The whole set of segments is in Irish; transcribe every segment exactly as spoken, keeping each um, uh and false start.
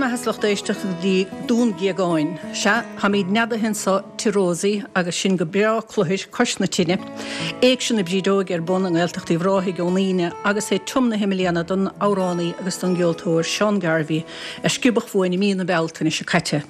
mbeatha is lucht éisteachta go dtí Dún Géagáin. Sea, táimid neadaithe anseo Tigh Rosie agus sinn go breá cluthair cois na tine. Éigse na Brídeoige ar bun i nGaeltacht Uíbh Ráthaigh ón Aoine agus é tiomnaithe i mbliana don amhránaí agus don gceoltóir Seán Garvey a sciobadh uainn i mí na Bealtaine seo caite.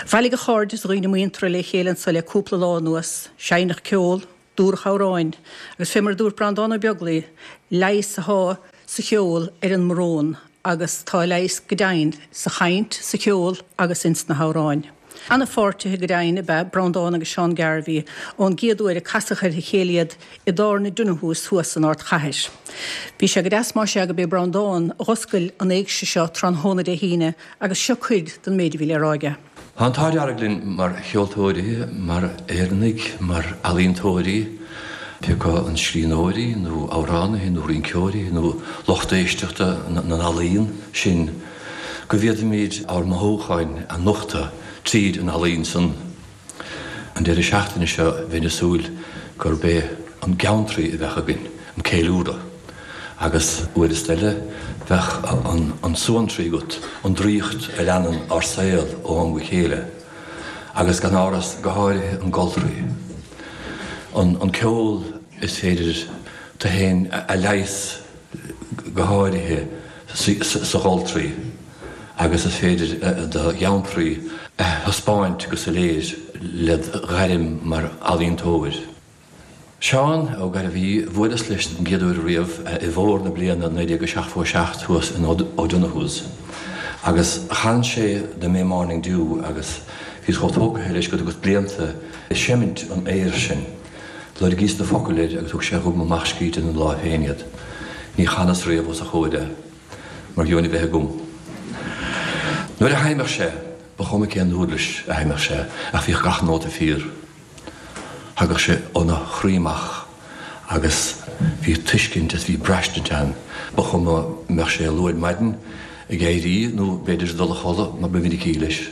Bhailigh a chairde is a dhaoine muinteartha le chéile anseo le cúpla lá anuas, seinneadh ceol, dúradh amhráin, agus fé mar a dúirt Breandán Ó Beaglaoi, leigheas atá sa cheol ar an mbrón agus tá leigheas go deimhin sa chaint, sa cheol agus ins na hamhráin. Ana-pháirtithe go deimhin ab ea Breandán agus Seán Garvey ón gcéad uair a casadh ar a chéile iad i dtábhairne Donohue's thuas san ardchathair. Bhí sé go deas más ea gurb é Breandán a dh'oscail an éigse seo tráthnóna Dé hAoine agus seo cuid den méid a bhí le rá aige. Tá an t-ádh dearg linn mar cheoltóirí, mar Éireannaigh, mar ealaíontóirí, pé acu an scríbhneoirí nó amhránaithe nó rinceoirí nó lucht éisteachta na n-ealaíon sin, go bhféadfaimid ár mothúcháin a nochtadh tríd an ealaín san. An deireadh seachtaine seo bheinn ag súil gurb é an geantraí a bheadh againn, an ceiliúradh, agus uair is eile bheadh an suantraí agat, an draíocht a leanann ár saol ó am go chéile, agus gan amhras go háirithe an goltraí. An an ceol is féidir tú féin a leigheas go háirithe sa gholtraí agus is féidir do gheantraí a thaispeáint go soiléir led ghairm mar ealaíontóir. Seán Ó Gairbhí, bhuaileas leis den gcéad uair riamh i bhfómhar na bliana naoi déag a seachtó a seacht thuas in O'Donoghue's agus chan sé The May Morning Dew agus bhíos chomh tógtha leis go dtugas blianta ag seimint an aoir sin. Loirgíos na focail air agus thug sé dhom amach scríte ina láimh féin iad. Ní chanas riamh os a chomhair é, mar gheobhainn a bheith agam. Nuair a sheinneadh sé, ba chuma cén uirlis a sheinneadh sé, ach bhíodh gach nóta fíor. Thagadh sé óna chroí amach agus bhí tuiscint is bhí braistint ann. Ba chuma mbeadh sé luath ar maidin ag éirí nó b'fhéidir ag dul a chodladh mar ba mhinicí leis.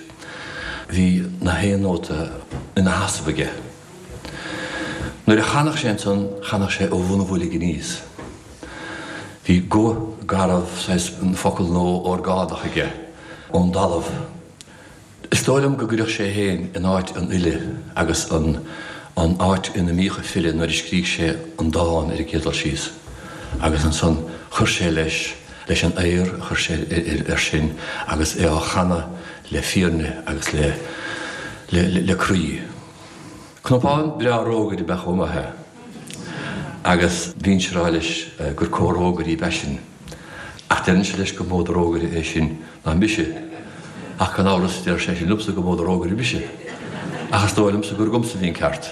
Bhí na haon nóta ina sheasamh aige. Nuair a chanadh sé ansan, chanadh sé ó bhun a bhoilg aníos. Bhí guth garbh, saghas focal nó orgánach aige, ón dtalamh. Is dóigh liom go gcuireadh sé féin in áit an fhile agus an an áit ina mbíodh an file nuair a scrígh sé an dán ar an gcéad dul síos. Agus ansan chuir sé leis, leis an aoir a chuir sé air sin agus é á chanadh le fírinne agus le le le croí. Cnapán breá rógaire ab ea chomh maith é agus bhínnse ag rá leis gur comh-rógairí ab ea sinn. Ach deirimse leis gur mó de rógaire é sin ná mise. Ach gan amhras deir sé sin liomsa gur mó de rógaire mise. Ach is dóigh liomsa gur agamsa a bhí an ceart.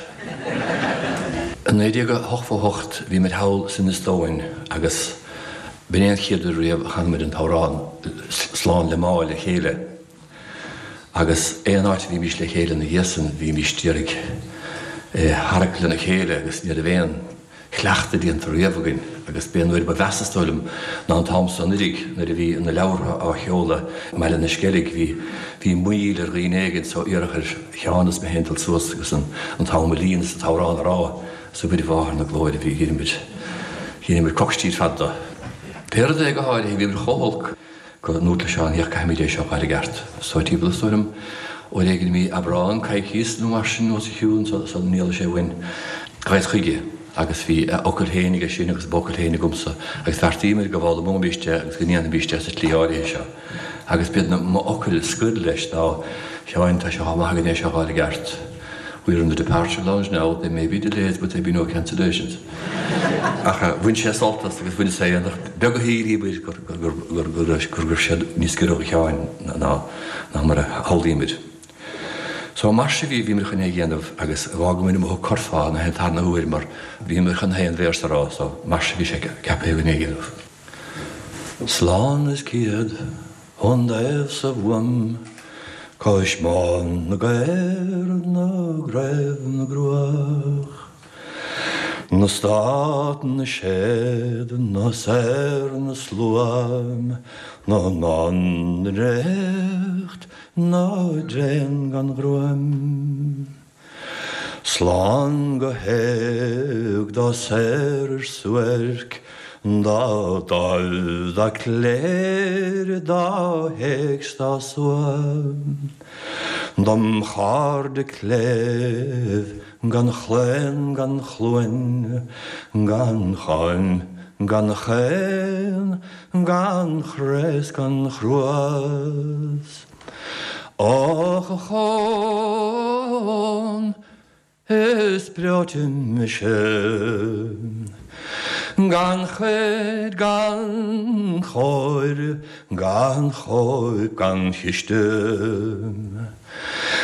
I naoi déag a hochtó a hocht bhí muid thall san Eastóin agus b'in é an chéad uair riamh a chan muid an t-amhrán Slán le Má le chéile. Agus aon áit a bhímís le chéile ina dhiaidh san, bhímís d'iarraidh é a tharrac lena chéile agus ní raibh aon chleachtadh déanta riamh againn. Agus b'é an uair ba mheasa, is dóigh liom, ná an t-am so anuiridh nuair a bhí na leabhartha á sheoladh i mBaile na Sceilg. Bhí, bhí moill ar dhaoine éigin so iarradh ar Sheán is mé féin dul suas agus an, an t-am a líonadh is an t-amhrán a rá. 'S a Mhuire Mháthair na Glóire, bhí, dheineamair, dheineamair coicstí ar fad de. Pé rud é, go háirithe, bhíomair chomh holc. Go ndúrt le Seán, Féach, caithfimid é seo a fháil i gceart. So timpeall is dóigh liom uair éigin i mí Aibreán, coicíos nó mar sin os a chionn sula n-éalódh sé uainn, ghabhas chuige agus bhí a fhocail féin aige sin agus m'fhocail féin agamsa agus bheartaíomar go bhfoghlaimeoimis é agus go ndéanfaimis é sa tslí áirithe seo. Agus b'iad na m'fhocail scoir leis ná, Sheáin, tá sé chomh maith againn é seo a fháil i gceart. We're in the departure lounge now, there may be delays but there'll be no cancellations. Ach bhain sé sult as agus bhaineas féin, ach beag a shílímid go raibh sé níos giorra do Sheáin ná mar a shamhlaímid. So mar sin bhí, bhíomar chun é a dhéanamh agus dh'fhágamair amuigh an curfá an tarna huair mar bhíomar chun aon véarsa a rá so mar sin bhí sé ceaptha againn é a dhéanamh. Slán is céad ón dtaobh sa bhfuaim cois Bán na gcaor na gcraobh na gcruach na stát na séad na saor na sluaim na ndán na ndréacht na dtréan gan ghruaim. Slán go héag dá saor ar suairc Dá dáil dá cléir dá héics dá suam, Dom chairde cléibh gan chlaon gan chluain, gan cháin gan chaon gan chraos gan chruas. Och a Chon is breoite mise, Gan chuid gan chóir gan chóip gan chiste,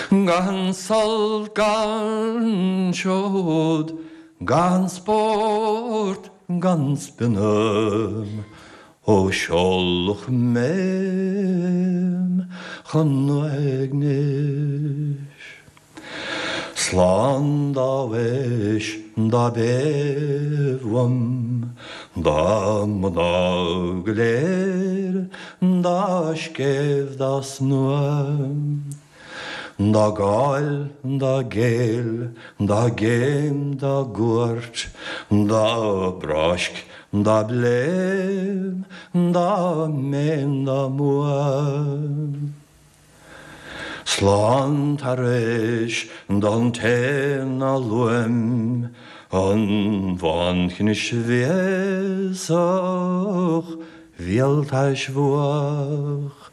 Gan sult gan seod gan spórt gan spinam, Ó seolach mé chun uaignis. Slán dá bhis dá bhéamh dá mná go léir dá scéimh dá snuam, Dá gáil dá géill dá géim dá gcuairt dá bráisc dá bléim dá méin dá muam. Slán tar éis don té ná luaim, an bhainchnis bhéasach bhéaltais bhuach,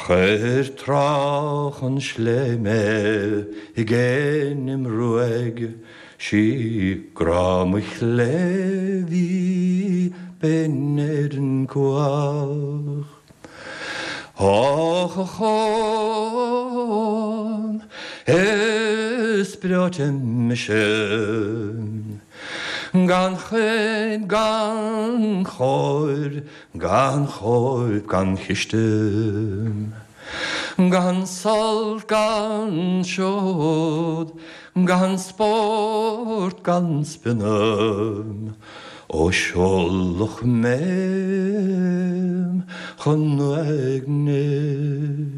Chuir tráth an sléime i gcéin im ruaig, Sí grá mo chléibh binn ar an cuach. Och a Chon is breoite mise, Gan chuid gan chóir gan chóip gan chiste, Gan sult gan seod gan spórt gan spinam, Ó seolach mé chun uaignis.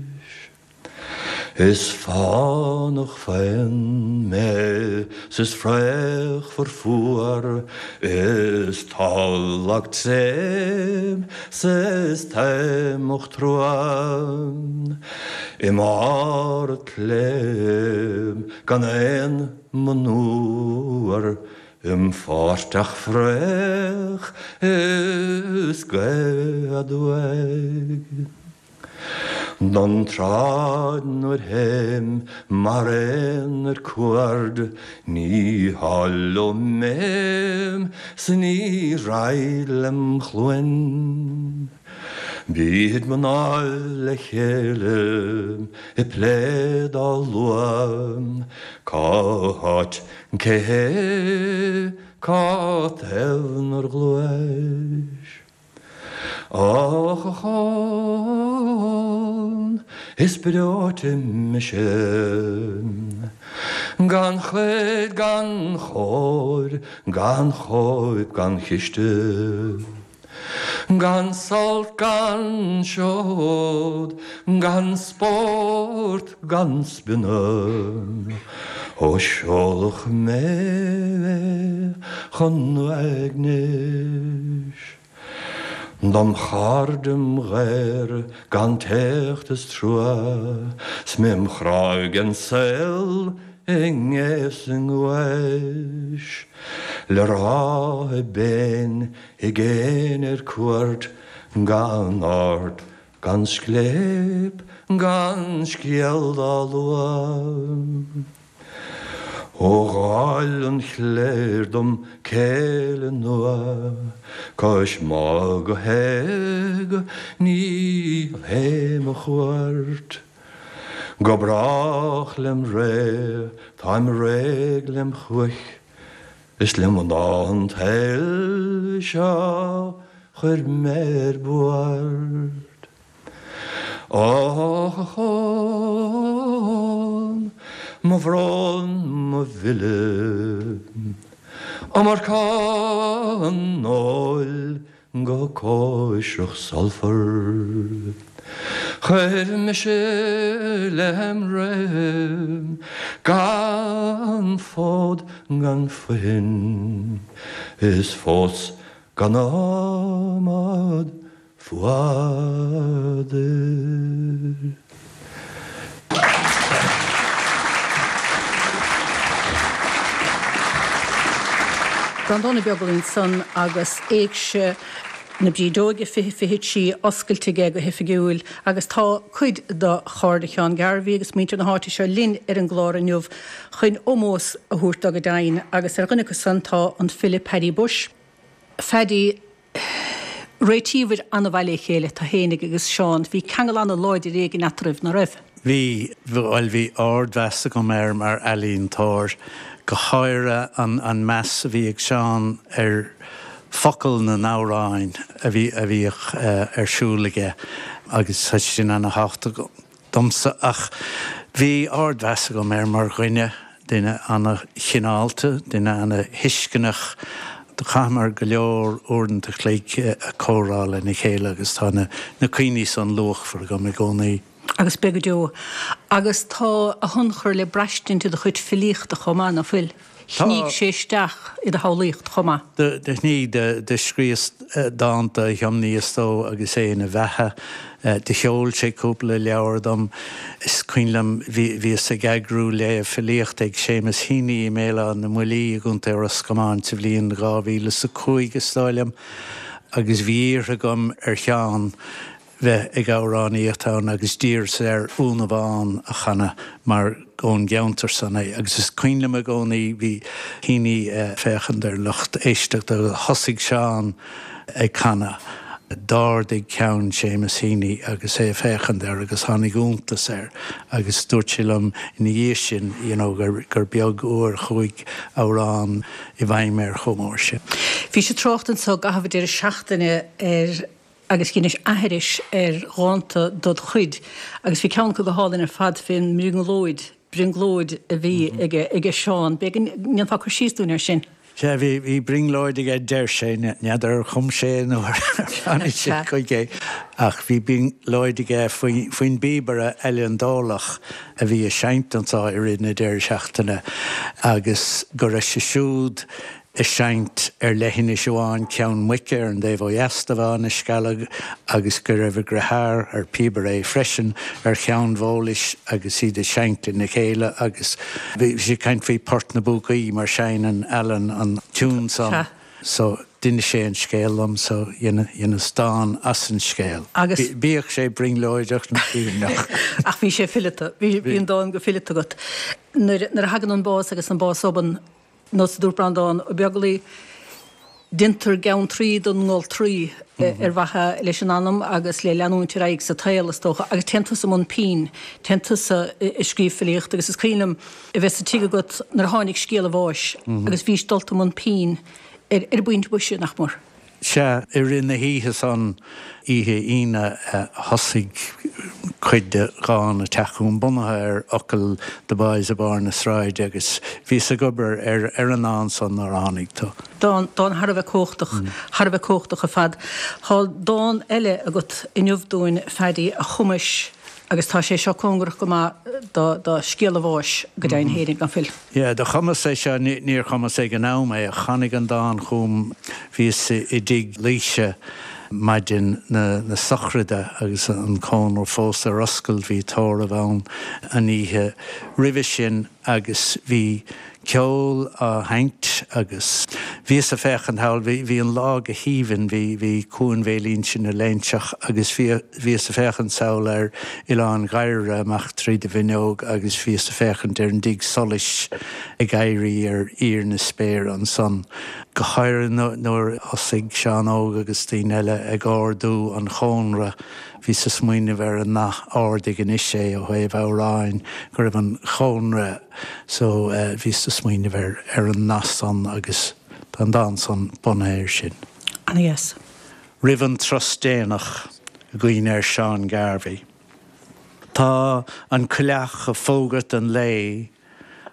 Is fánach féin mé 's is fraochmhar fuar, Is tadhlach tréim 's is taomach truan, I mbarr an tsléibhe gan aon monuar, Im phortach fraoch is gaoth aduaidh. Don tsráid nuair théim mar éan ar cuaird, Ní háil liom méim 's ní raghad lem chluain. Bíd mná le chéile i plé dá lua, Cá háit cé hé cá taobh nár ghluais. Och a Chon is breoite mise, Gan chuid gan chóir gan chóip gan chiste, Gan sult gan seod gan spórt gan spinam, Ó seolach mé chun uaignis. Dom chairde im ghair gan éacht is trua, 's mé im chráigh den saol i ngéibh 's i nguais, Le rá i bpéin i gcéin ar cuairt, Gan aird gan scléip gan scéal dá lua. Ó dháil an chléir dom céile nua, Cois má go héag ní théim a chuairt. Go brách lem ré táim réidh lem chumhaidh, Is le mná an tsaoil seo chuir mé ar buairt. Och a Chon, mo bhrón mo mhilleadh, Iomarca an óil go cóisreach sulfar. Chuir mise lem réim gan fód gan fuin, Is fós Gan adhmad fuadair. Breandán Ó Beaglaoich ansan agus Éigse na Brídeoige fiche fiche trí oscailte aige go hoifigiúil agus tá cuid de chairde Sheáin Garvey agus muintir na háite seo linn ar an gclár inniu chun ómós a thabhairt dó go deimhin agus ar dhuine acu san tá an file Paddy Bushe. Phaddy, réitíobhair an-mhaith le chéile, tú fhéinig agus Seán. Bhí ceangal an-láidir éigin eatarthu, ná raibh? Bhí, bhuel bhí ardmheas agam air mar ealaíontóir, go háirithe an an meas a bhí ag Seán ar focail na n-amhráin a bhí a bhíodh ar siúl aige agus tá sin ana-thábhachtach domsa ach bhí ardmheas agam air mar dhuine, duine ana-chineálta, duine ana-thuisceanach. Do chaitheamar go leor uaireanta a chloig ag comhrá lena chéile agus tá na cuimhní san luachmhar agam i gcónaí. Agus beidh go deo. Agus tá a thionchar le braistint i do chuid filíochta chomh maith, ná fuil? Shnígh sé isteach i do shamhlaíocht chomh maith. Do shnígh, do scríos dánta a thiomnaíos dó agus é ina bheatha. Do sheol sé cúpla leabhar dom. Is cuimhin liom, bhíos ag eagrú léamh filíochta ag Séamus Heaney i mBéal Átha na mBuillí i gContae Ros Comáin sa bhliain dhá mhíle is a cúig, is dóigh liom, agus bhí iarrtha agam ar Sheán bheith ag amhránaíocht ann agus d'iarras air Úna Bhán a chanadh mar ón gceantar san é agus is cuimhin liom i gcónaí bhí Heaney ag féachaint ar lucht éisteachta agus thosaigh Seán ag canadh. D'ardaigh ceann Séamus Heaney agus é ag féachaint air agus tháinig iontas air agus dúirt sé liom ina dhiaidh sin you know gur gur beag uair a chuaigh amhrán i bhfeidhm air chomh mór sin. Bhís ag trácht anso i gcaitheamh an deireadh seachtaine ar agus dheinis aithris ar dhánta dod chuid agus bhí ceann acu go hálainn ar fad fén mbrionglóid, brionglóid a bhí aige, aige Seán. B'fhéidir go ndéanfá cur síos dúinn air sin. Sea, bhí, bhí brionglóid aige, deir sé, n'fheadar ar chum sé é nó ar tháinig sé chuige ach bhí brionglóid aige faoi, faoin bpíobaire Eilean Dólach a bhí ag seinnt anseo i rith na deireadh seachtaine agus go raibh sé siúd ag seinnt ar leithinis amháin, Ceann Muice ar an dtaobh ó dheas de Bhá na Scealg agus go raibh a dheartháir, ar píobaire é freisin, ar Cheann Bhólais agus iad ag seinnt lena chéile agus bhí sé ag caint faoi Port na bPúcaí mar seinneann Alan an tiún san so d'inis sé an scéal liom so dheineas dán as an scéal. Agus. Bíodh sé brionglóideach nó fírinneach. Ach bhí sé fileata, bhí an dán go fileata agat. Nuair a thagann an bás agus an bás obann, Nós a dúirt Breandán Ó Beaglaoi, Déantar geantraí den ngoltraí ar mhaithe leis an anam agus le leanúint ar aghaidh sa tsaol, is dócha. Agus téann tusa i mbun pinn, téann tusa ag scríobh filíochta agus is cuimhin liom a bheith sa tigh agat nuair a tháinig scéal a bháis agus bhís dulta i mbun pinn ar an bpointe boise, nach mór. Sea, i rith na hoíche san, oíche Aoine, thosaigh cuid de dhán ag teacht chugam, bunaithe ar fhocail The Boys i Barr na Sráide, agus bhíos ag obair ar ar an ndán san nuair a tháinig tú. Dán, dán thar a bheith cumhachtach, thar a bheith cumhachtach ar fad. Tá dán eile agat inniu dúinn, Phaddy, a chumais agus tá sé seo cóngarach go maith do do scéal a bháis, go deimhin féinig, ná fuil? Yeah, do chumas é seo, níor chumas ag an am é, ach tháinig an dán chugam, bhíos i dtigh Laoise maidin na na sochraide agus an cónra fós ar oscailt, bhí tórramh ann an oíche roimhe sin agus bhí ceol á sheinnt agus bhíos ag féachaint thall, bhí, bhí an lá go haoibhinn, bhí, bhí Cuan Bhéal Inse na Léinseach agus bhí, bhíos ag féachaint sall ar Oileán Ghairire amach tríd an bhfuinneog agus bhíos ag féachaint ar an dtigh solais ag éirí ar íor na spéire ansan, go háirithe nuair a thosaigh Seán Óg agus daoine eile ag ardú an chónra. Bhíos ag smaoineamh ar an nath 'ardaigh anois é' ó thaobh amhráin, go raibh an chónra so bhíos ag smaoineamh ar ar an nath san agus tá an dán san bunaithe air sin. Ana-dheas. Roimh an turas déanach i gcuimhne ar Seán Garvey. Tá an coileach ag fógairt an lae,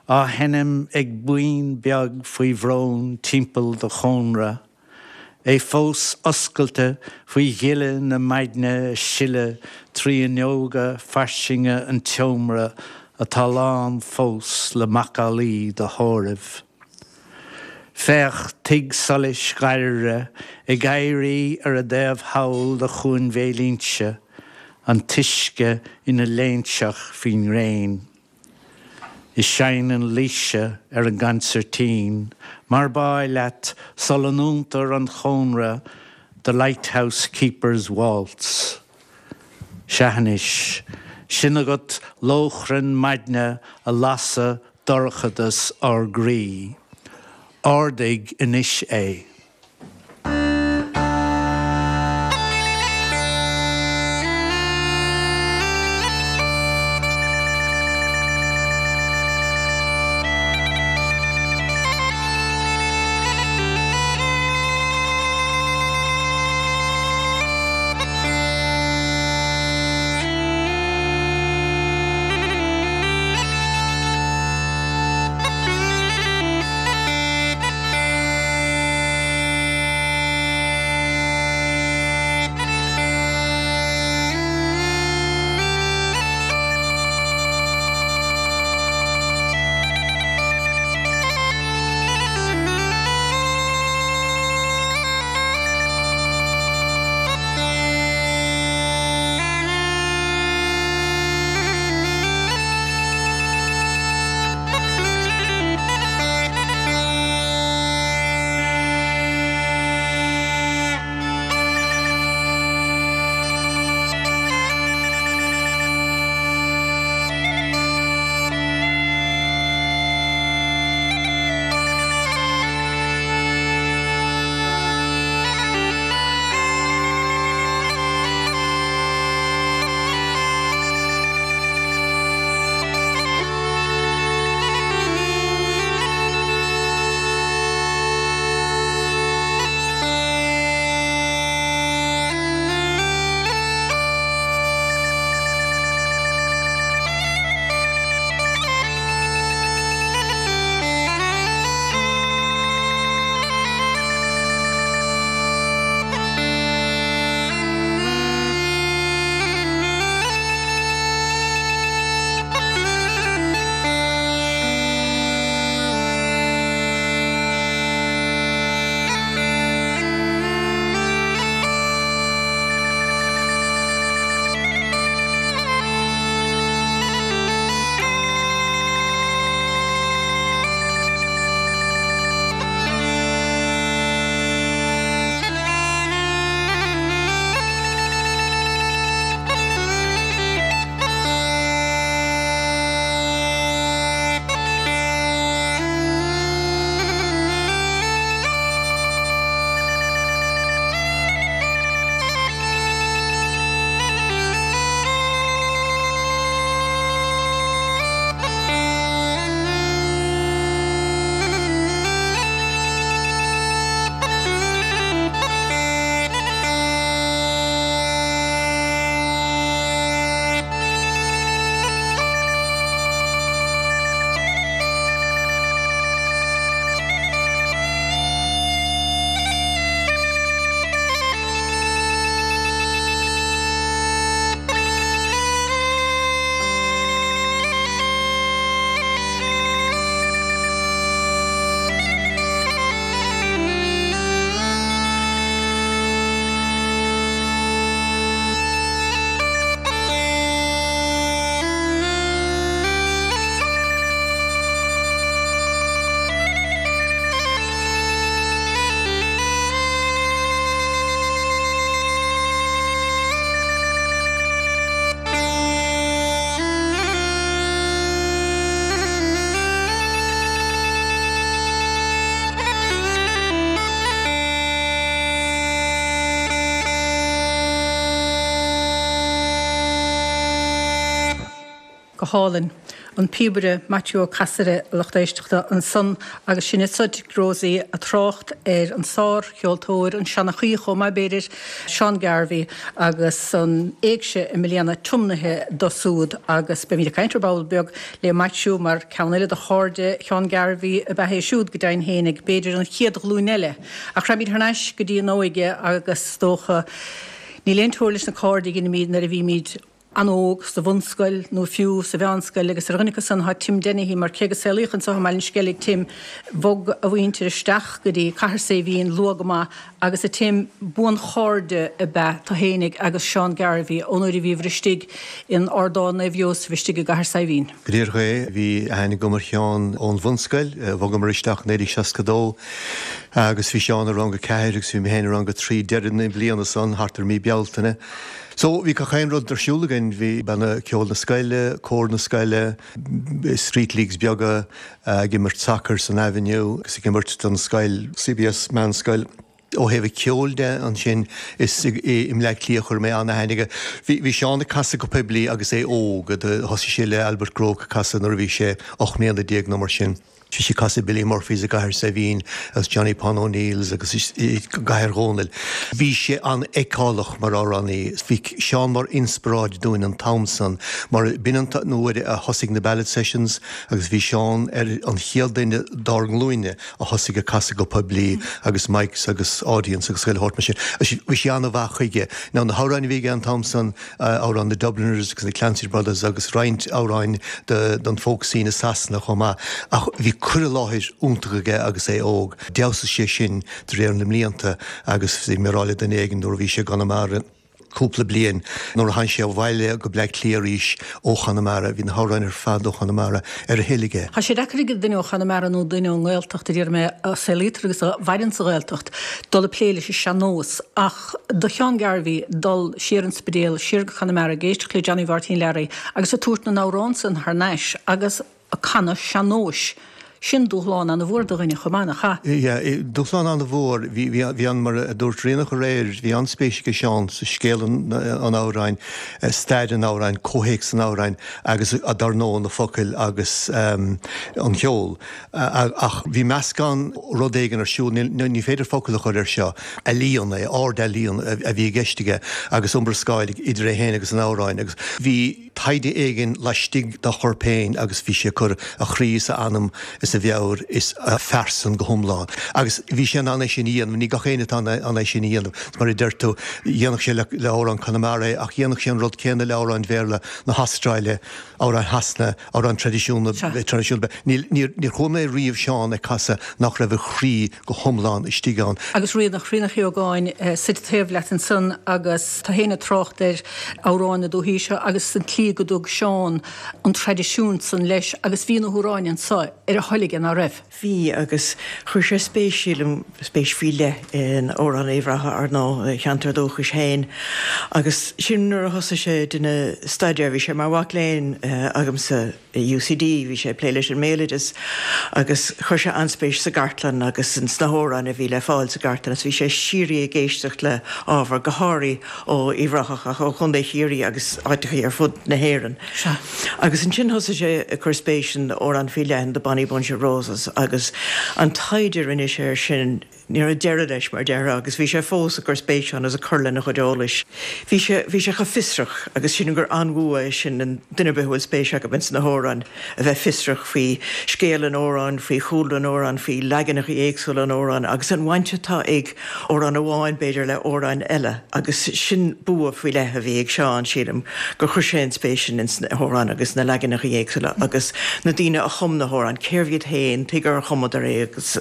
á sheinm ag buíon beag faoi bhrón timpeall do chónra. É fós oscailte faoi ghile na maidne ag sileadh trí fhuinneoga fairsinge an tseomra atá lán fós le macallaí do thórraimh. Féach tigh solais Ghairire ag éirí ar an dtaobh thall de Chuan Bhéal Inse, an t-uisce ina léinseach faoin ngréin. Is seinneann Laoise ar an gconsairtín, mar b'áil leat sula ndúntar an cónra The Lighthouse Keeper's Waltz. Sea anois, sin agat lóchrann maidne a lasadh dorchadas ár gcroí. Ardaigh anois é. Go hálainn. An píobaire Maitiú Ó Casaide, a lucht éisteachta ansan agus sin anso Tigh Rosie ag trácht ar an sárcheoltóir, an seanchaí chomh maith b'fhéidir, Seán Garvey agus an éigse i mbliana tiomnaithe dó siúd agus beimid ag caint ar ball beag le Maitiú mar ceann eile de chairde Sheán Garvey ab ea é siúd go deimhin fhéinig, b'fhéidir an chéad ghlúin eile. Ach raghaimid thar n-ais go dtí an óige agus is dócha níl aon teora leis na cairde a dheinimid nuair a bhímid an-óg sa bhunscoil nó fiú sa mheánscoil agus ar dhuine acu san tá Tim Dennehy mar cé go saolaíodh anseo i mBaile an Sceilg Tim bhog a mhuintir isteach go dtí Cathair Saidhbhín luath go maith agus a Tim buanchairde ab ea tú fhéinig agus Seán Garvey ón uair a bhíobhair istigh in Ardán Naomh Iósaf istigh i gCathair Saidhbhín. Go díreach é, bhí aithne agam ar Sheán ón bhunscoil, bhogamar isteach naoi déag seasca dó agus bhí Seán i rang a ceathair agus bhí mé féin i rang a trí deireadh na bliana san thart ar mí Bealtaine. So bhí gach aon rud ar siúl againn, bhí banna ceoil na scoile, cór na scoile, street leagues beaga, ag imirt sacair san Avenue agus ag imirt don scoil, CBS meánscoil. Ó thaobh an cheoil de ansin is i mBleá Cliath a chuir mé an-aithne aige. Bhí bhí Seán ag casadh go poiblí agus é óg, thosaigh sé le Albert Groke ag casadh nuair a bhí sé ocht mbliana déag nó mar sin. Bhí sé ag casadh Billy Murphy's i gCathair Saidhbhín agus Johnny Pon O'Neill's agus i gCathair Dhónaill. Bhí sé an-fheiceálach mar amhránaí. Bhí Seán mar inspioráid dúinn an t-am san mar b'in an uair a thosaigh na ballad sessions agus bhí Seán ar an chéad duine dár nglúine a thosaigh ag casadh go poiblí agus mics agus audience agus chuile shórt mar sin. Bhí sé an-mhaith chuige. Now na hamhráin a bhí aige an t-am san amhráin na Dubliners agus na Clancy Brothers agus roinnt amhráin don folk scene i Sasana chomh maith ach bhí cur i láthair iontach aige agus é óg. D'fheabhsaigh sé sin de réir na mblianta agus bhí mé ag rá le duine éigin nuair a bhí sé i gConamara cúpla bliain nuair a tháinig sé abhaile go Bleá Cliath arís ó Chonamara, bhí na hamhráin ar fad ó Chonamara ar a thoil aige. Tá sé deacair ag duine ó Chonamara nó duine ón nGaeltacht a deir mé a saolaítear agus a mhaireann sa Ghaeltacht dul ag plé leis an sean-nós ach do Sheán Garvey dul siar an Spidéal, siar go Conamara ag éisteacht le Johnny Mháirtín Learaí agus ag tabhairt na n-amhrán san thar n-ais agus ag canadh sean-nóis. Sin dúshlán an-mhór do dhuine chomh maith, nach ea? Yeah, dúshlán an-mhór. Bhí, bhí, bhí an, mar a dúirt Ríonach aréir, bhí an-spéis aige Seán sa scéal an, an amhráin, stair an amhráin, comhthéacs an amhráin agus dar ndóigh na focail agus um, an ceol. Ach bhí meascán rud éigin ar siúl, ní, ní féidir focal a chur air seo, ealaíon é, ard-ealaíon a, a bhí i gceist aige agus iomrascáil idir é féin agus an amhráin agus bhí taighde éigin laistigh dá chorp féin agus bhí sé ag cur a chroí is a anam is a mheabhair is a phearsan go hiomlán. Agus bhí sé in ann é sin a dhéanamh, ní gach éinne atá in ann é sin a dhéanamh. Mar a deir tú, dhéanfadh sé le, le hamhrán Conamara é, ach dhéanfadh sé an rud céanna le hamhráin Bhéarla na hAstráile, amhráin Shasana, amhráin traidisiúnta, traidisiúnta. Níl, níor, níor chuala mé riamh Seán ag casadh nach raibh a chroí go hiomlán istigh ann. Agus Ríonach, Ríonach Uí Ógáin suite taobh leat ansan agus tú féin ag trácht ar amhráin na dúichí seo agus an tslí go dtug Seán an traidisiún san leis agus bhí na hamhráin anso ar a thoil aige, ná raibh? Bhí agus chuir sé spéis, sílim, spéis faoi leith in Amhrán Uíbh Ráthach, ar ndóigh, a cheantar dúchais féin agus sin nuair a thosaigh sé ag déanamh staidéir. Bhí sé mar mhac léinn agamsa i UCD, bhí sé ag plé leis an mbéaloideas agus chuir sé an-spéis sa gcartlann agus sna hamhráin a bhí le fáil sa gcartlann agus bhí sé síoraí ag éisteacht le ábhar, go háirithe ó Uíbh Ráthach ach ó Chontae Chiarraí agus áiteachaí ar fud na hÉireann. Agus ansin thosaigh sé ag cur spéis in amhrán faoi leith, in The Bonny Bunch of Roses, agus an taighde a rinne sé air sin, ní raibh deireadh leis, mar déarfá, agus bhí sé fós ag cur spéise ann agus ag cur lena chuid eolais. Bhí sé, bhí sé chomh fiosrach agus sílim gur an-bhua é sin in duine ar bith a bhfuil spéis acu ins na hamhráin, a bheith fiosrach faoi scéal an amhráin, faoi chúlra an amhráin, faoi leaganacha éagsúla an amhráin agus an bhaint atá ag amhrán amháin, b'fhéidir, le hamhráin eile agus sin bua faoi leith a bhí ag Seán, sílim, gur chuir sé an spéis sin ins na hamhráin agus na leaganacha éagsúla agus na daoine a chum na hamhráin, cérbh iad féin, tuige ar chumadar é agus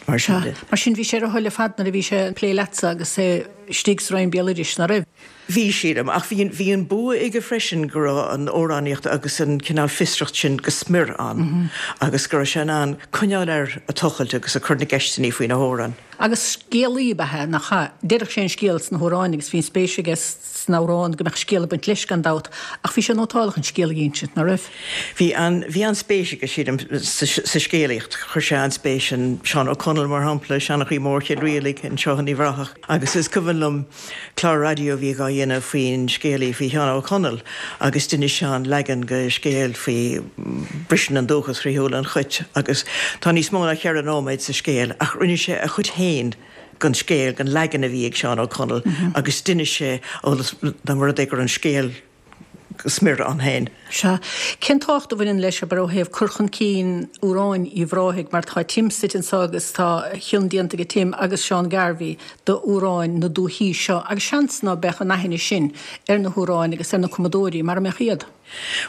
mar sin de. Mar sin bhí sé ar a thoil ar fad nuair a bhí sé ag plé leatsa agus é istigh sa Roinn Béaloidis, ná raibh? Bhí, sílim, ach bhí, bhí an bua aige freisin go raibh an amhránaíocht agus an cineál fiosracht sin go smior ann agus go raibh sé in ann coinneáil air ag tochailt agus ag cur na gceisteanna faoi na hamhráin. Agus scéalaí ab ea é, nach ea? Deireadh sé an scéal sna hamhráin agus bhí an spéis aige san amhrán go mbeadh scéal ag baint leis gan dabht, ach bhí sé nótálach an scéal a insint, ná raibh? Bhí an, bhí an-spéis aige, sílim, sa, sa scéalaíocht. Chuir sé an-spéis in Seán Ó Conaill, mar shampla, Seanchaí Mór Chill Rialaig anseo in Uíbh Ráthach. Agus is cuimhin liom clár raidió a bhí dhá dhéanamh faoin scéalaí, faoi Sheán Ó Conaill, agus d'inis Seán leagan de scéal faoi Briseann an Dúchas Thrí Shúile an Chait agus tá níos mó ná ceithre nóiméad sa scéal ach rinne sé a chuid féin den scéal, den leagan a bhí ag Seán Ó Conaill agus d'inis sé, ó dá mba rud é gur an scéal go smior ann féin. Sea. Cén tábhacht a bhaineann leis abair ó thaobh cur chun cinn amhráin Uíbh Ráthaigh mar tá Tim suite anseo agus tá a chion déanta ag Tim agus Seán Garvey d'amhráin na dúichí seo agus seans ná beadh an aithne sin ar na hamhráin agus ar na cumadóirí mara mbeadh iad.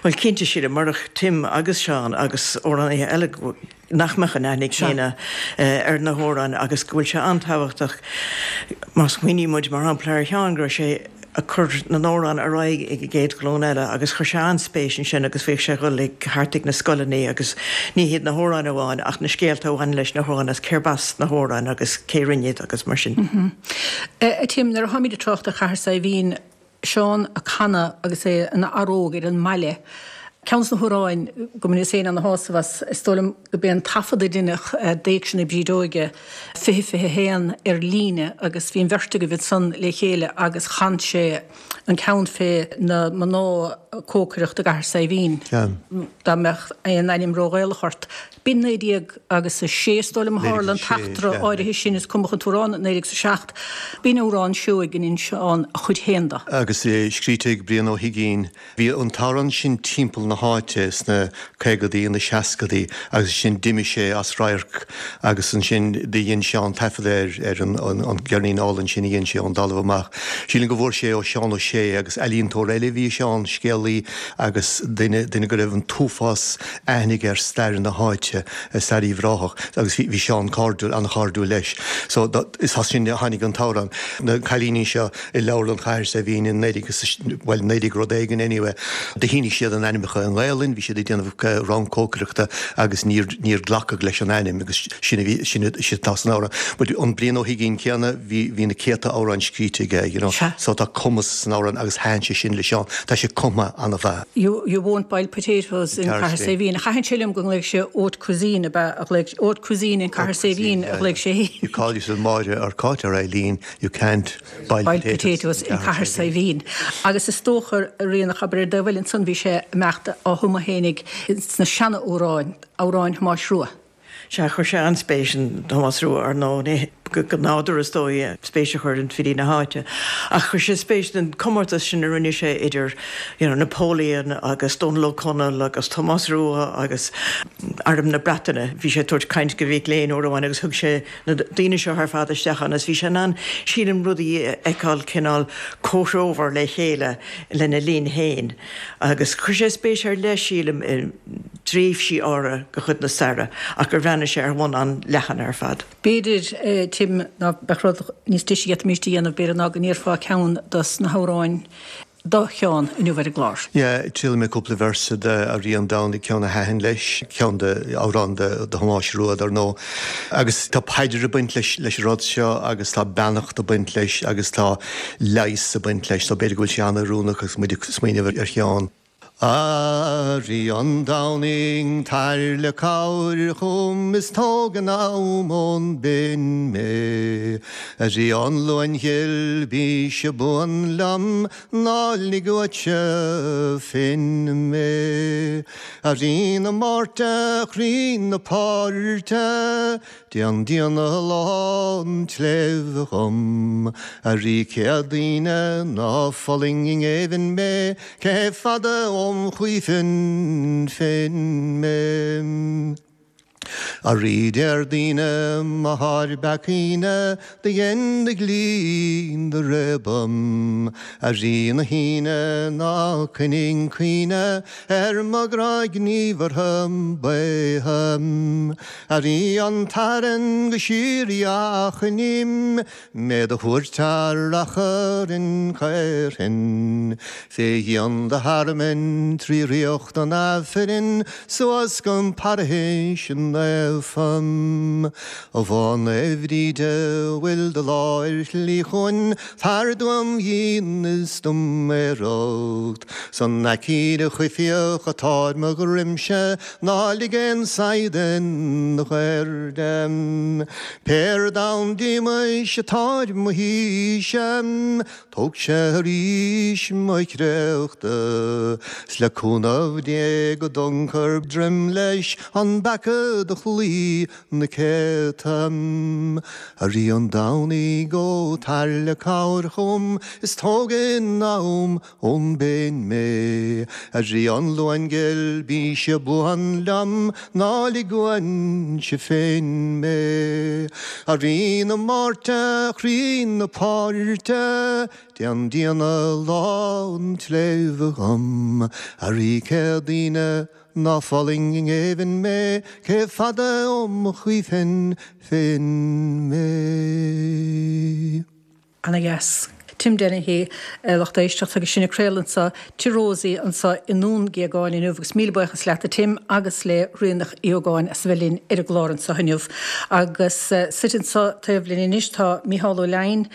Bhuel cinnte sílim murach Tim agus Seán agus amhránaithe eile nach mbeadh an aithne céanna ar na hamhráin agus go bhfuil sé an-tábhachtach má smaoiníonn muid mar shampla ar Sheán go raibh sé ag cur na n-amhrán ar aghaidh ag an gcéad ghlúin eile agus chuir sé an-spéis ansin agus bhíodh sé ag dul ag thart ag na scoileanna agus ní hiad na hamhráin amháin ach na scéalta a bhain leis na hamhráin as cérb as na hamhráin agus cé rinne iad agus mar sin. A Tim, nuair a tháimid ag trácht ar Chathair Saidhbhín, Seán ag canadh agus é ina fhear óg ar an mbaile, Ceann de na hamhráin go mbaineas féin ana-shásamh as, is dóigh liom gurb é an taifead a deineadh d'Éigse na Brídeoige fiche fiche a haon ar líne agus bhí an bheirt agaibh ansan le chéile agus chan sé an ceann fé na mná cócaireacht i gCathair Saidhbhín. Dá mbeadh aon ainm ró-Ghaelach ort. B'in naoi déag agus a sé is dóigh liom a tharla an t-eachtra áirithe sin, is cumadh an t-amhrán i naoi déag is a seacht. B'in amhrán seoigh a ndein Seán a chuid féin de. Agus é scríte ag Brian Ó hUiginn. Bhí an t-amhrán sin timpeall na háite sna caogadaí, na seascadaí agus ansin d'imigh sé as radharc agus ansin do dhein Seán taifead air ar an an gceirnín álainn sin a dhein sé Ón dTalamh Amach. Sílim go bhfuair sé ó Seán Ó Sé agus ealaíontóir eile a bhí i Seán, scéalaí agus duine duine go raibh an t-uafás aithne aige ar stair na háite, stair Uíbh Ráthach agus bhí bhí Seán cairdiúil, an-chairdiúil leis. So is as sin a tháinig an t-amhrán. Na cailíní seo i Leabharlann Chathair Saidhbhín i naoi déag is bhuel naoi déag rud éigin anyway, do shínigh siad a n-ainmneacha i nGaelainn, bhí siad ag déanamh rang cócaireachta agus níor níor glacadh leis an ainm agus sin a bhí sin sin atá san amhrán. But an Brian Ó hUiginn céanna bhí bhí na céadta amhrán scríte aige, you know. Sea. So tá cumas san amhrán agus thaitin sé sin le Seán. Tá sé cumtha an-mhaith. You you won't boil potatoes in Cathair Saidhbhín. Thaitin sé liom go nglaoigh sé haute cuisine ab ea a ghlaoigh haute cuisine in Cathair Saidhbhín a ghlaoigh sé. You call yourself Máire or Cáit or Eileen, you can't boil boil potatoes potatoes in Cathair Saidhbhín. Agus is dócha a Ríonach abair ar dtaobh eile ansan bhí sé ag imeacht á thumadh fhéinig sna seana-amhráin, amhráin Thomáis Rua. Sea, chuir sé an-spéis in Tomás Rua, ar ndóigh, go nádúrtha is dóigh, spéis a chur in filí na háite. Ach chuir sé spéis in comórtas sin a rinne sé idir you know Napoleon agus Dónal Ó Conaill agus Tomás Rua agus Arm na Breataine. Bhí sé ag tabhairt caint go mhic léinn uair amháin agus thug sé na daoine seo ar fad isteach ann agus bhí sé in ann, sílim, rudaí a fheiceáil cineál comhthreomhar le chéile lena linn féin. Agus chuir sé spéis ar leith, sílim, i dtréimhsí áirithe de chuid na staire ach gur bhreathnaigh sé ar bhonn an-leathan ar fad. B'fhéidir, Tim, ná beadh rud níos deise a d'fhéadfaimíst a dhéanamh, b'fhéidir, ná go n-iarrfá ceann dos na hamhráin do Sheán inniu ar an gclár. Yeah, triailfidh mé cúpla véarsa de A Rí an Domhnaigh, ceann a thaitin leis, ceann de amhrán de Thomás Rua, dar ndóigh. Agus tá paidir ag baint leis leis an rud seo agus tá beannacht ag baint leis agus tá leigheas ag baint leis, so b'fhéidir go bhfuil sé an-oiriúnach agus muid ag smaoineamh ar Sheán. A Rí an Domhnaigh, tar le cabhair chugam is tóg anonn ón bpian mé. A Rí an Luain Ghil, bíse buan liom, ná lig uaitse féin mé. A Rí na Márta, croí na páirte, Déan díona lán tsléibhe dhom, a Rí Céadaoine, ná fulaing i ngéibheann mé, cé fada óm chaoifinn féin mé. A Rí Déardaoine, m'athair beacaoine, do dhein do dhlí do réabadh, a Rí na hAoine, ná coinnigh cuimhne ar mo ghnáthghníomhartha baotha. A Rí an tSathairn go síoraí achainím, mé do thabhairt thar achar an chaorthainn. Fé dhíon do thearmainn trí ríocht an Aifrinn suas go Parthais naofa. A Mhá Naomh Bhríde bhfuil do lá ar shlí chugainn, tar dom dhíon is dom aoireacht. 'San aicíd choimhthíoch atá ar mo dhroimse, ná lig aon saighead den ghairde. Pé ar domhan díomais atá ar mo thaoibhse, tógse arís mo chréachta, 's le cúnamh Dé go dtungfar droim leis an bpeacadóir. do chloí na céadta. A Rí an Domhnaigh ó tar le cabhair chugam is tóg in am ón bpéin mé. A Rí an Luain Ghil bíse buan liom ná lig uainse féin mé. A Rí na Máirte, chroí na páirte, déan díona lá an tsléibhe dhom. A Rí Céadaoine ná fulaing i ngéibheann mé, cé fada ó mo chaoimhin féin mé. Ana dheas. Tim Dennehy, lucht éisteachta agus sinn ag craoladh anseo Tigh Rosie anseo i nDún Géagáin inniu agus míle buíochas leat a Tim agus le Ríonach Uí Ógáin as a bheith linn ar an gclár anseo inniu. Agus suite anseo taobh linn anois tá Mícheál Ó Leidhin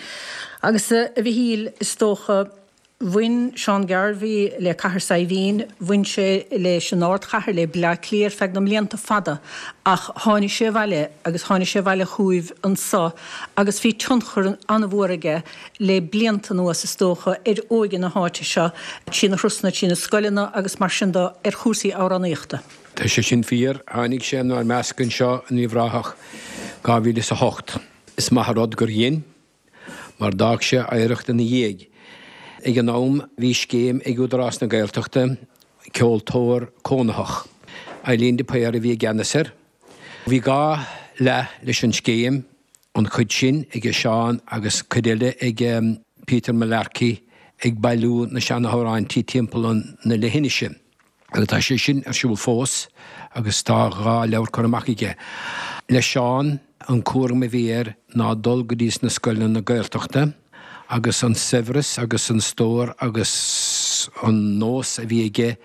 agus a Mhichíl is dócha Bhain Seán Garvey le Cathair Saidhbhín, bhain sé leis an ardchathair le Baile Átha Cliath ar feadh na mblianta fada ach tháinig sé abhaile agus tháinig sé abhaile chugaibh anseo agus bhí tionchar an-mhór aige le blianta anuas is dócha ar óige na háite seo, trí na turasanna, trí na scoileanna agus mar sin de ar chúrsaí amhránaíochta. Tá sé sin fíor, tháinig sé inár measc anseo in Uíbh Ráthach dhá mhíle is a hocht. Is maith an rud gur dhein, mar d'fhág sé oidhreacht ina dhiaidh. Ag an am bhí scéim ag Údarás na Gaeltachta, Ceoltóir Cónaitheach. Eileen de Paor a bhí i gceannas air. Bhí dhá leath leis an scéim, an chuid sin ag Seán agus cuid eile ag Peter Mullarkey ag bailiú na seanamhráintí timpeall na leithinise. Agus tá sé sin ar siúl fós agus tá dhá leabhar curtha amach aige. Le Seán, an cúram a bhí air ná dul go dtí na scoileanna Gaeltachta, agus an saibhreas agus an stór agus an nós a bhí aige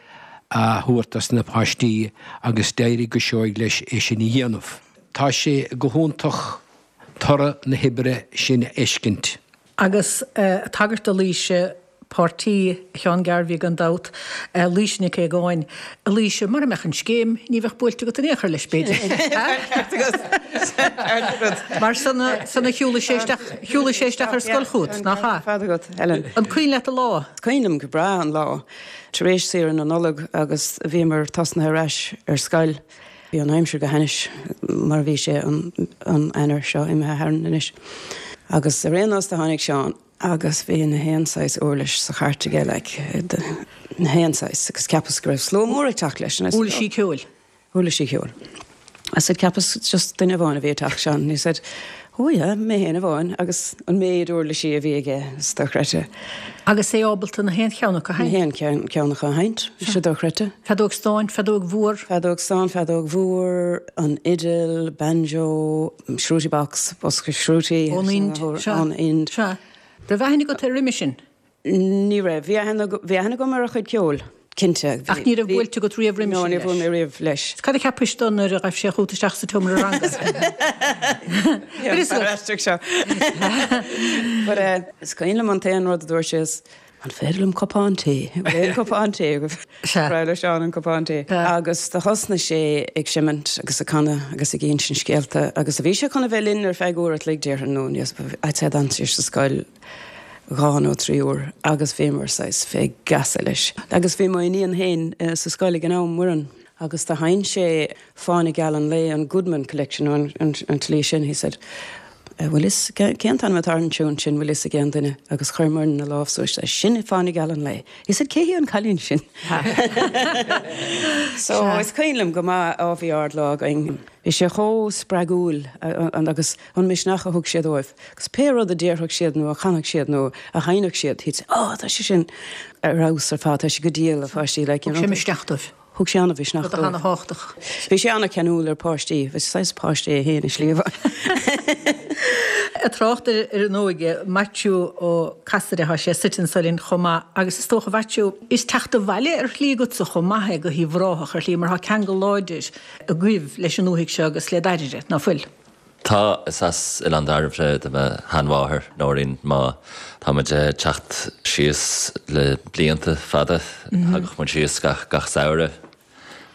a thabhairt dos na páistí agus d'éirigh go seoigh leis é sin a dhéanamh. Tá sé go hiontach toradh na hoibre sin a fheiscint. Agus tagairt do Laoise, páirtí Sheáin Garvey gan dabht, Laoise Nic Aogáin. A Laoise, mura mbeadh an scéim, ní bheadh buailte agat in aon chor leis, b'fhéidir. Mar san a shiúlaigh sé isteach, shiúlaigh sé isteach ar scoil chugat, nach ea? Fad agat, Helen. An cuimhin leat an lá? Is cuimhin liom go breá an lá. Tar éis saoire na Nollag agus bhíomar tosnaithe ar ais ar scoil. Bhí an aimsir go hainnis mar a bhí sé an Eanáir seo imithe tharainn anois. Agus ar aon nós do tháinig Seán agus bhí na haon saghas uirlis sa chairt aige, like, na haon saghas, agus cheapas go raibh slua mór ag teacht leis. Uirlisí ceoil? Uirlisí ceoil. I said, cheapas just duine amháin a bhí ag teacht, Seán. And he said, oh yeah, mé féin amháin, agus an méid uirlisí a bhí aige, is dochreidte. Agus é ábalta na haon cheann acu a sheinnt? Na haon ceann acu a sheinnt, bhí sé dochreidte. Feadóg stáin, feadóg mhór? Feadóg stáin, feadóg mhór, an fhidil, banjo, shruti box, bosca shruti. Ón Ind, sea. Ón Ind. Sea. Raibh aithne agat air roimhe sin? Ní raibh. Bhí aithne agam ar a chuid ceoil, cinnte. Ach ní raibh buailte agat riamh roimhe sin leis? No, níor bhuail mé riamh leis. Cad a cheapais dó nuair a ghaibh sé chugat isteach sa tseomra ranga? Bhí aisteach seo. But is cuimhin liom an t-aon rud a dúirt sé is, An féidir liom cupán tae? Bhfuil aon cupán tae agaibh? Sea. Ba bhreá le Seán an cupán tae. Agus do thosnaigh sé ag seimint agus ag canadh agus ag insint scéalta agus bhí sé chun a bheith linn ar feadh uair a chloig déarfainn nó níos, I'd say d'fhan sé sa scoil dhá nó trí uair agus bhíomar saghas fé gheasa leis. Agus bhí mo iníon féin sa scoil ag an am, Muireann, agus do sheinn sé Fáinne Geal an Lae, an Goodman Collection nó an tslí sin, he said, Bhfuil fhios, cén t-ainm atá ar an tiún sin, bhfuil fhios ag aon duine? Agus chuir Muireann a lámh suas, sin Fáinne Geal an Lae. He said, cé hí an cailín sin? So, is cuimhin liom go maith, á bhí ard-lá againn. Bhí sé chomh spreagúil agus an misneach a thug sé dóibh. Agus pé rud a déarfadh siad nó a chanfadh siad nó a sheinnfeadh siad, he'd say, oh, tá sé sin ar fheabhas ar fad, tá sé go diail, a pháistí, like, you Thug know. sé misneach dóibh. Thug sé an-mhisneach Rud dóibh. an-thábhachtach. Bhí sé an-cheanúil ar páistí. Bhí saghas páiste é féin i slí amháin. Ag trácht ar an óige, Maitiú Ó Casaide, tá sé suite anso linn chomh maith agus is dócha, Mhaitiú, is teacht abhaile ar shlí agatsa chomh maith é go hUíbh Ráthach ar shlí mar tá ceangal láidir agaibh leis an ndúthaigh seo agus le Dairbhre, ná fuil? Tá, is as Oileán Dairbhre do mo sheanmháthair, Nóirín. Má tá muid ag teacht síos le blianta fada, thagadh muid síos gach gach samhradh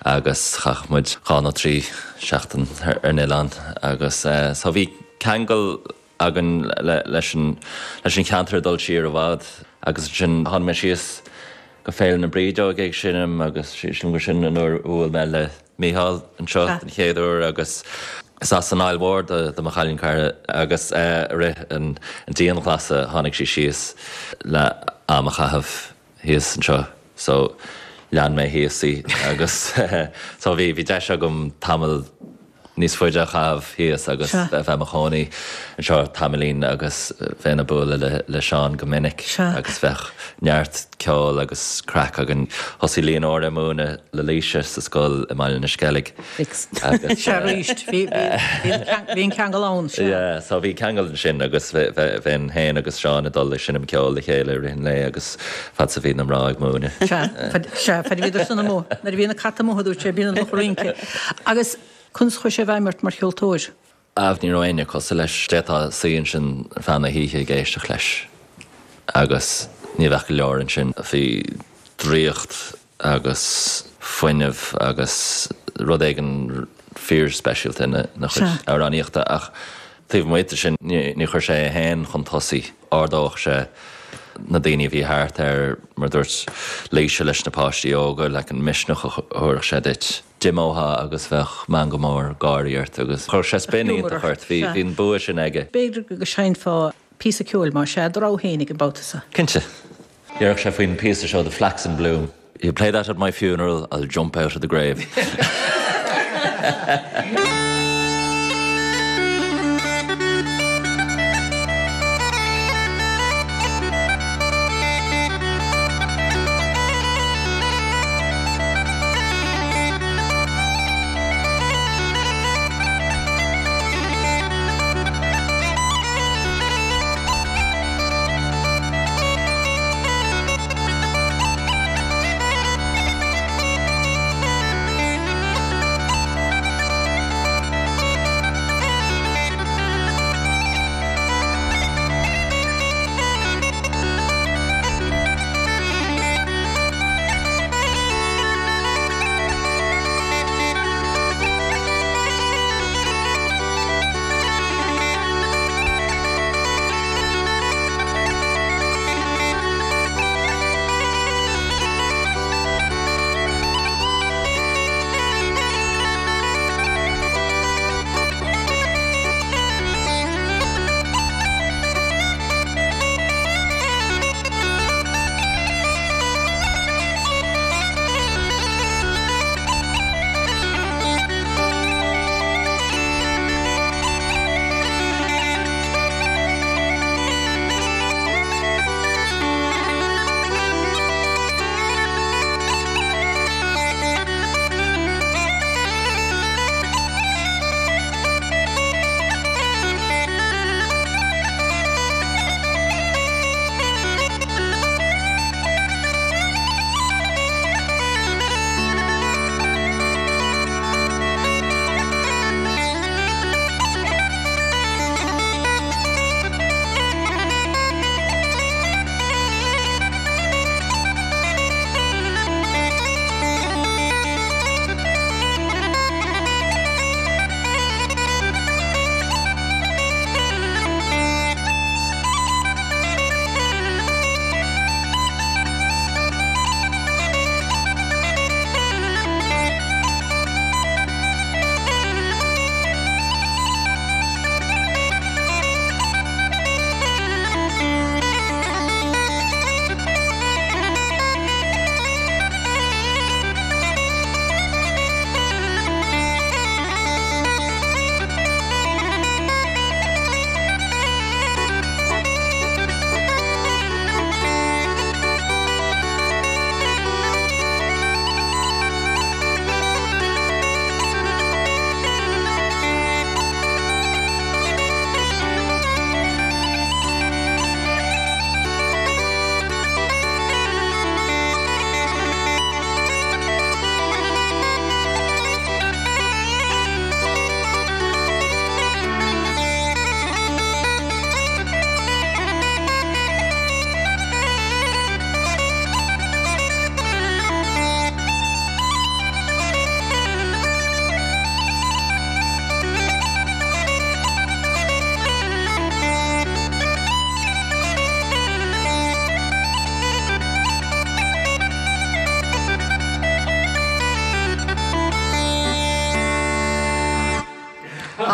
agus chaitheadh muid dhá nó trí seachtain ar an oileán agus so bhí ceangal againn leis an leis an cheantar ag dul siar i bhfad agus ansin tháinig mé síos go Féile na Brídeog ag seinm agus sílim gur sin an uair a bhuail mé le Mícheál anseo den chéad uair agus is as an Aill Mhór do do mo chailín cara agus i rith an dianghlasála tháinig sí síos le am a chaitheamh thíos anseo so lean mé thíos í agus so bhí bhí deis agam tamall níos faide a chaitheamh thíos agus bheith i mo chónaí anseo tamaillín agus bheinn ag bualadh le le Seán go minic agus bheadh neart ceoil agus craic againn. Thosaigh Leonora ag múineadh le Laoise sa scoil i mBaile na Sceilg agus Sea arís, bhí bhí an ceangal ann, sea. Yeah, so bhí ceangal ansin agus bheinn féin agus Seán ag dul ag seinm ceoil le chéile i rith an lae agus fad is a bhí na mná ag múineadh. Sea, sea, fad a bhíodar san amuigh, nuair a bhí na cait amuigh a dúirt sé, bíonn an lucht rince. Agus Conas a chuaigh sé i bhfeidhm ort mar cheoltóir? Ámh, ní raibh éinne cosúil leis. D'fhéadfá suí ansin ar feadh na hoíche ag éisteacht leis agus ní bheadh go leor ansin. Bhí draíocht agus fuinneamh agus rud éigin fíorspeisialta ina chuid amhránaíochta ach taobh amuigh de sin ní chuir sé é féin chun tosaigh. Ardódh sé na daoine a bhí thart air, mar a dúirt Laoise leis na páistí óga, like an misneach a thabharfadh sé duit. D'imeofá agus bheadh meangadh mór gáirí ort agus chuirfeadh sé spin iontach ort. Bhí an bua sin aige. B'fhéidir go seinnfeá píosa ceoil, más ea, do rogha fhéinig an babhta seo. Cinnte. Déarfadh sé faoin phíosa seo, The Flax in Bloom. You play that at my funeral, I'll jump out of the grave.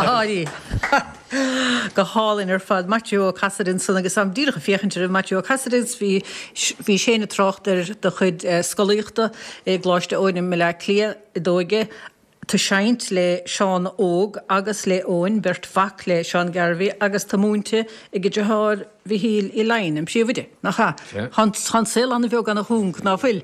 Áirí. Go hálainn ar fad. Maitiú Ó Casaide ansan agus am díreach ag féachaint ar Maitiú Ó Casaide bhí bhí sé ina thráchtaire do chuid scolaíochta i gColáiste Eoin i mBaile Átha Cliath i d'óige. Tú seinnt le Seán Óg agus le Eoin, beirt mhac le Seán Garvey agus tá múinte ag a dheartháir Mhichíl Uí Laighin, an príomhoide, nach ea? Tá an saol an-bheag an-chúng, ná fuil?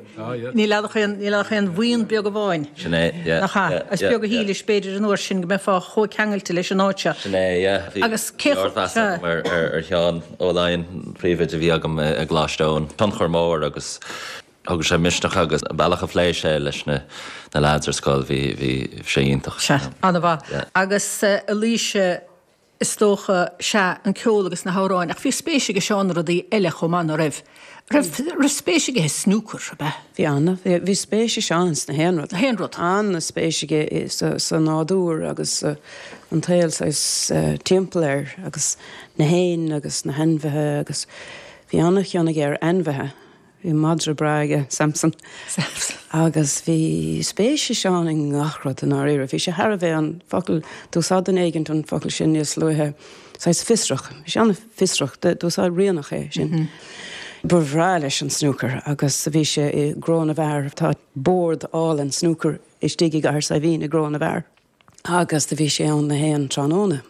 Níl ach aon níl ach aon bhuíon beag amháin. Sin é, yeah. Nach ea? Is beag a shílis b'fhéidir an uair sin go mbeifeá chomh ceangailte leis an áit seo. Sin é, yeah. Bhí Agus cé ardmheas agam ar ar Sheán Ó Laighin, príomhoide a bhí agam i gColáiste Eoin. Tionchar mór agus thug sé misneach agus an bealach a phléigh sé leis na na lads ar scoil, bhí bhí sé iontach. Sea, an-mhaith. Agus a Laoise, is dócha, sea, an ceol agus na hamhráin, ach bhí spéis aige Seán i rudaí eile chomh maith, ná raibh? Raibh raibh spéis aige i snúcar, ab ea? Bhí ana, bhí bhí spéis ag Seán sna haon rud. Na haon rud. Ana-spéis aige sa sa nádúr agus sa an tsaol saghas timpeall air agus na héin agus na hainmhithe agus bhí ana-chion aige ar ainmhithe. Bhí madra breá aige, Samson. Samson. Agus bhí spéis ag Seán i ngach rud i ndáiríre. Bhí sé thar a bheith an focal, d'úsáid duine éigint an focal sin níos luaithe, saghas fiosrach. Bhí sé an-fhiosrach, d'úsáid Ríonach é sin. Ba bhreá leis an snúcar agus bhí sé i gCró na bhFear. Tá bord álainn snúcair istigh i gCathair Saidhbhín i gCró na bhFear. Agus do bhí sé ann na haon tráthnóna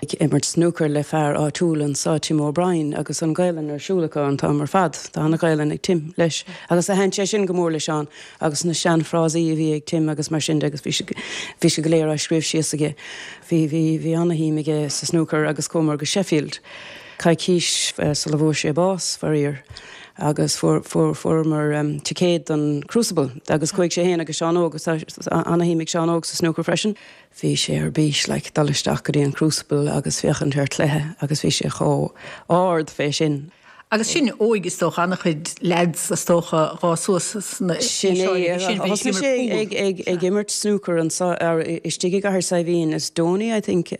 ag imirt snúcair le fear áitiúil anso, Tim O'Brien, agus an Ghaelainn ar siúl acu an t-am ar fad. Tá ana-Ghaelainn ag Tim leis. Agus do thaitin sé sin go mór le Seán agus na seanfhrásaí a bhí ag Tim agus mar sin de agus bhí sé bhí sé go léir á scríobh síos aige. Bhí bhí bhí ana-shuim aige sa snúcar agus chuamar go Sheffield coicís sula bhfuair sé bás, faraor. Agus fuair fuair fuaireamar ticéad don Crucible agus chuaigh sé féin agus Seán Óg agus tá ana-shuim ag Seán Óg sa snúcar freisin. Bhí sé ar bís like dul isteach go dtí an Crucible agus féachaint ar chluiche agus bhí sé chomh ard fé sin. Agus sin óig is dócha, an-chuid leaids is dócha dhá suas sna Sin é, thosnaigh sé ag ag ag imirt snúcar anso istigh i gCathair Saidhbhín is Donie I think a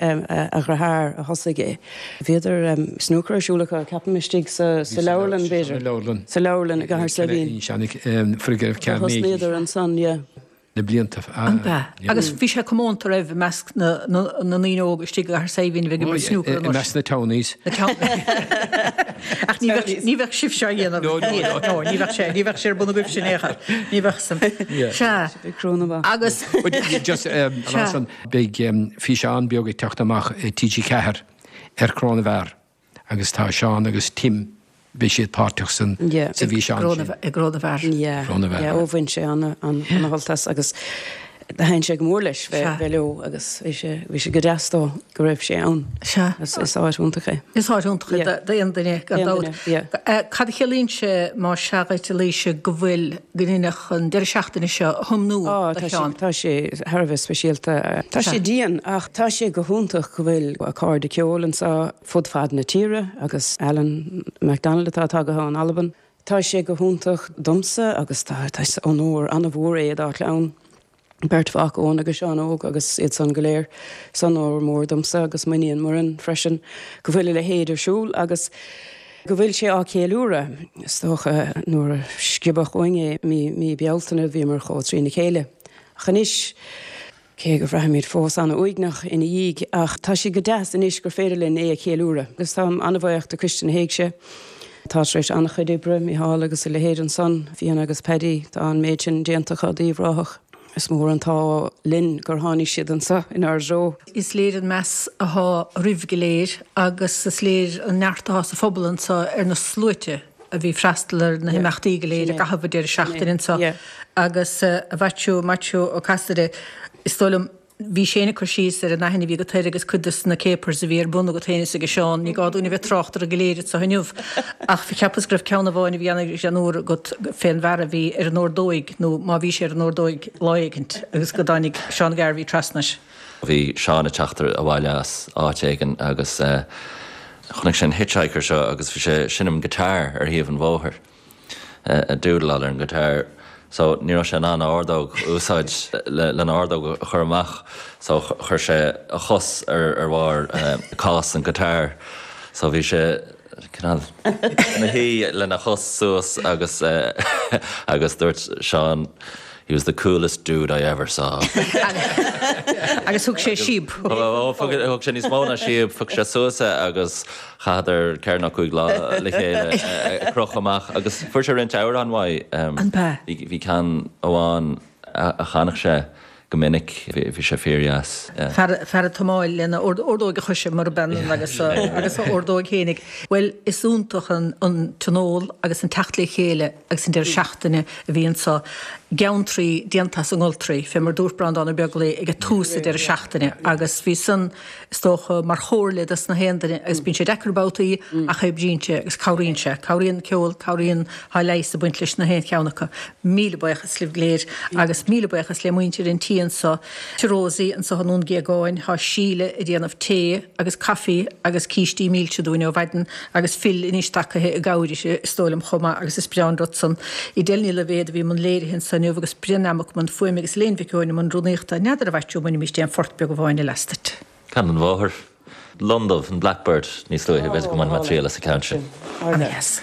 dheartháir a thosaigh é. Bhíodar snúcar ar siúl acu ceapaim istigh sa sa leabharlann b'fhéidir. Sa leabharlann i gCathair Saidhbhín. Thosnaíodar ansan yeah. na blianta. Ab ea? Agus bhí sé comónta raibh i measc na ndaoine óga istigh i gCathair Saidhbhín a bheith ag imirt snúcar I measc na townies. Na townies. Ach ní bheadh ní bheadh sibhse á dhéanamh. No, no, no. No, ní bheadh sé ní bheadh sé ar bun agaibhse in aon chor. Ní bheadh san. Sea. Agus. Just um, beidh um, físeán beag ag teacht amach i T G ceathair ar Chró na bhFear agus tá Seán agus Tim beidh siad páirteach san sa bhfíseán sin. I gCró na bhFear. Cró na bhFear. Yeah, ó bhain sé ana-shult as agus thaitin sé go mór leis bheith leo agus bhí sé bhí sé go deas dó go raibh sé ann. Sea. Is is áit iontach é. Is áit iontach é d'aon duine gan dabht. Cad a chiallaíonn sé más sea dhuit a Laoise go bhfuil go ndeineadh an deireadh seachtaine seo a thiomnú do Sheán? Tá sé thar a bheith speisialta. Tá sé dian ach tá sé go hiontach go bhfuil a cairde ceoil anseo fud fad na tíre agus Alan McDonald atá tagtha ón Albain. Tá sé go hiontach domsa agus tá is onóir an-mhór é dá chlann. Beirt mhac, Eoin agus Seán Óg agus iad san go léir. Is onóir mór domsa agus m'iníon Muireann freisin go bhfuil a leithéid ar siúl agus go bhfuil sé á cheiliúradh. Is dócha nuair a sciobadh uainn é mí mí Bealtaine bhíomar chomh trína chéile. Ach anois, cé go bhraithimid fós an-uaigneach ina dhiaidh, ach tá sé go deas anois gur féidir linn é a cheiliúradh. Agus táim an-bhuíoch de Coiste na hÉigse, atá tar éis an-chuid oibre, Micheál agus a leithéid ansan, Fiona agus Paddy, tá an méid sin déanta acu d'Uíbh Ráthach. Is mór an t-ádh linn gur tháinig siad anso inár dtreo. Is léir an meas athá oraibh go léir agus is léir an neart athá sa phobal anso ar na sluaite a bhí freastal ar na himeachtaí go léir i gcaitheamh an deireadh seachtaine anso agus a Mhaitiú, Maitiú Ó Casaide, is dóigh liom, bhí sé ag cur síos ar an aithne a bhí agat air agus cuid de na capers a bhí ar bun agat féin is ag Seán, ní gá dúinn a bheith ag trácht orthu go léir anso inniu ach cheapas go raibh ceann amháin a bhí an-fhuar agat fén bhfear a bhí ar an ordóig nó má bhí sé ar an ordóig lá éigint agus go dtáinig Seán Garvey trasna air. Bhí Seán ag teacht abhaile as áit éigin agus chonaic sé an hitchhiker seo agus bhí sé ag seinm guitar ar thaobh an bhóthair, ag dúdláil ar an guitar. So ní raibh sé in ann a ordóg a úsáid lena ordóg a chur amach so chuir sé a chos ar ar bharr cás an guitar so bhí sé cineál ina shuí lena chos suas agus agus dúirt Seán He was the coolest dude I ever saw. Agus thug sé síob. Thug sé níos mó ná síob, phioc sé suas é agus chaitheadar ceithre nó cúig lá le chéile ag crochadh amach agus fuair sé roinnt amhrán uaidh. An b'ea? Bhí ceann amháin a chanadh sé go minic, bhí sé fíordheas. Fear ag tiomáil lena ordóg a choise murab ionann agus a ordóg fhéinig. Bhuel, is iontach an tionól agus an teacht le chéile agus an deireadh seachtaine a bhí anso. Geantraí déanta as an ngoltraí, fé mar dúirt Breandán Ó Beaglaoi ag tús an deireadh seachtaine agus bhí san, is dócha, mar chomhairle dos na haon duine agus bíonn sé deacair babhtaí ach oibríonn sé agus cabhraíonn sé. Cabhraíonn ceol, cabhraíonn, tá leigheas ag baint leis na haon cheann acu. Míle buíochas libh go léir agus míle buíochas le muintir an tí anso, Tigh Rosie anso i nDún Géagáin, tá Síle ag déanamh tae agus caife agus cístí milse dúinn ó mhaidin agus Phil anois tagaithe i gcabhair uirthi is dóigh liom chomh maith agus is breá an rud san. Edel Ní Loibhéad a bhí i mbun léirithe anso inniu agus Brian Mac i mbun fuaime agus Elaine Mhic Eoin i mbun rúnaíochta. N'fheadar a Mhaitiú an mbainfimís aon phort beag amháin eile as duit. Ceann den bhóthar. Londubh, an Blackbird níos luaithe, b'fhéidir go mbainfidh mé triail as an gceann sin. Ana-dheas.